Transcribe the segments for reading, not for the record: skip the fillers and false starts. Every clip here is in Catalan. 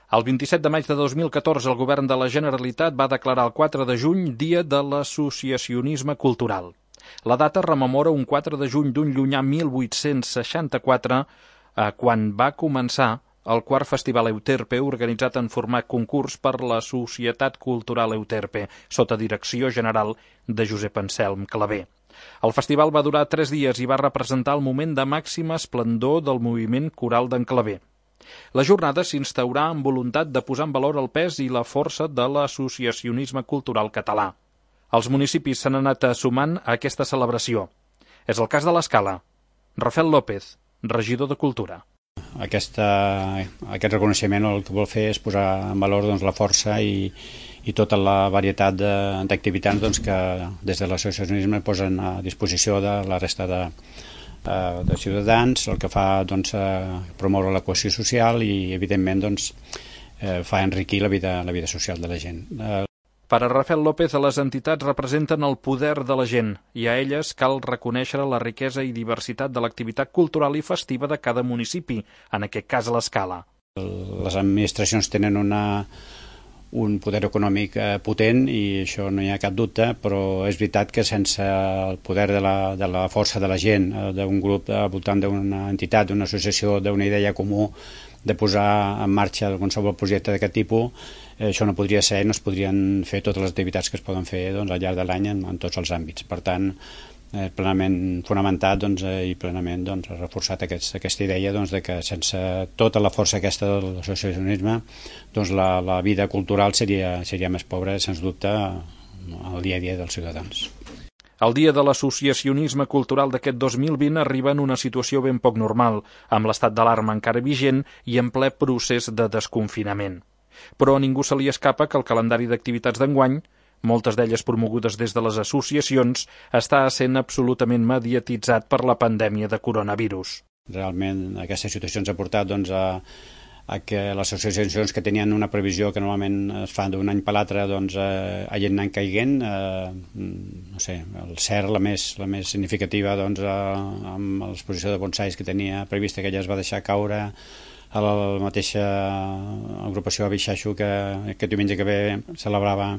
El 27 de maig de 2014 el Govern de la Generalitat va declarar el 4 de juny Dia de l'Associacionisme Cultural. La data rememora un 4 de juny d'un llunyà 1864, quan va començar el quart Festival Euterpe, organitzat en format concurs per la Societat Cultural Euterpe, sota direcció general de Josep Anselm Clavé. El festival va durar 3 dies i va representar el moment de màxima esplendor del moviment coral d'en Clavé. La jornada s'instaurà amb voluntat de posar en valor el pes i la força de l'associacionisme cultural català. Els municipis s'han anat sumant a aquesta celebració. És el cas de l'Escala. Rafael López, regidor de Cultura. Aquest reconeixement el que vol fer és posar en valor la força i tota la varietat d'activitats que des de l'associacionisme posen a disposició de la resta de ciutadans, el que fa promoure la cohesió social i evidentment fa enriquir la vida social de la gent. Per a Rafael López, les entitats representen el poder de la gent i a elles cal reconèixer la riquesa i diversitat de l'activitat cultural i festiva de cada municipi, en aquest cas l'Escala. Les administracions tenen un poder econòmic potent i això no hi ha cap dubte, però és veritat que sense el poder de la força de la gent, d'un grup al voltant d'una entitat, d'una associació, d'una idea comú, de posar en marxa qualsevol projecte d'aquest tipus, això no podria ser, no es podrien fer totes les activitats que es poden fer al llarg de l'any en tots els àmbits. Per tant, plenament fonamentat i plenament reforçat aquesta idea de que sense tota la força aquesta de l'associacionisme la vida cultural seria més pobra, sens dubte, al dia a dia dels ciutadans. El Dia de l'Associacionisme Cultural d'aquest 2020 arriba en una situació ben poc normal, amb l'estat d'alarma encara vigent i en ple procés de desconfinament. Però a ningú se li escapa que el calendari d'activitats d'enguany, moltes d'elles promogudes des de les associacions, està sent absolutament mediatitzat per la pandèmia de coronavirus. Realment aquesta situació ens ha portat a que les associacions que tenien una previsió que normalment es fa d'un any per l'altre hagin anat caiguent. No sé, el CERT, la més significativa, amb l'exposició de bonsais que tenia prevista, que ja es va deixar caure, a la mateixa agrupació Abixaixo que aquest diumenge que ve celebrava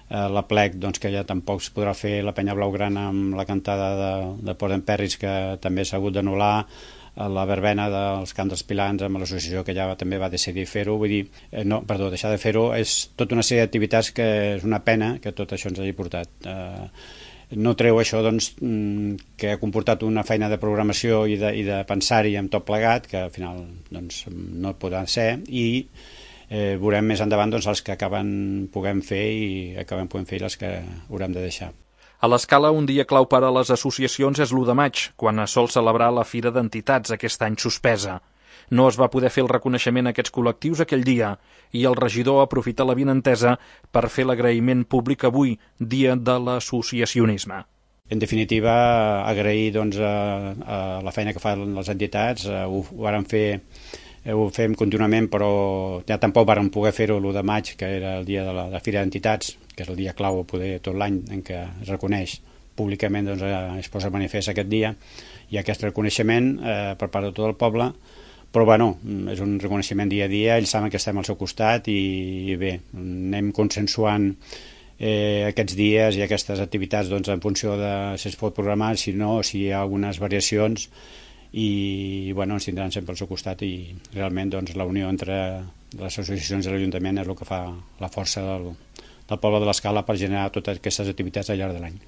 la plec, que ja tampoc es podrà fer, la Penya Blaugrana amb la cantada de Port d'Emperris, que també s'ha hagut d'anul·lar, la verbena dels Camps dels Pilans amb l'associació que ja també va decidir fer-ho, deixar de fer-ho. És tota una sèrie d'activitats que és una pena que tot això ens hagi portat. No treu això que ha comportat una feina de programació i de pensar-hi amb tot plegat, que al final no podrà ser, i veurem més endavant els que puguem fer i les que haurem de deixar. A l'Escala, un dia clau per a les associacions és l'1 de maig, quan es sol celebrar la Fira d'Entitats, aquest any suspesa. No es va poder fer el reconeixement a aquests col·lectius aquell dia i el regidor aprofita l'avinentesa per fer l'agraïment públic avui, Dia de l'Associacionisme. En definitiva, agrair a la feina que fan les entitats. Ho fem contínuament, però ja tampoc vàrem poder fer-ho l'1 de maig, que era el dia de la Fira d'Entitats, que és el dia clau poder tot l'any en què es reconeix públicament, es posa manifest aquest dia, i aquest reconeixement per part de tot el poble. Però és un reconeixement dia a dia, ells saben que estem al seu costat i bé, anem consensuant aquests dies i aquestes activitats en funció de si es pot programar, si no, si hi ha algunes variacions, i ens tindran sempre al seu costat, i realment la unió entre les associacions i l'Ajuntament és el que fa la força del poble de l'Escala per generar totes aquestes activitats al llarg de l'any.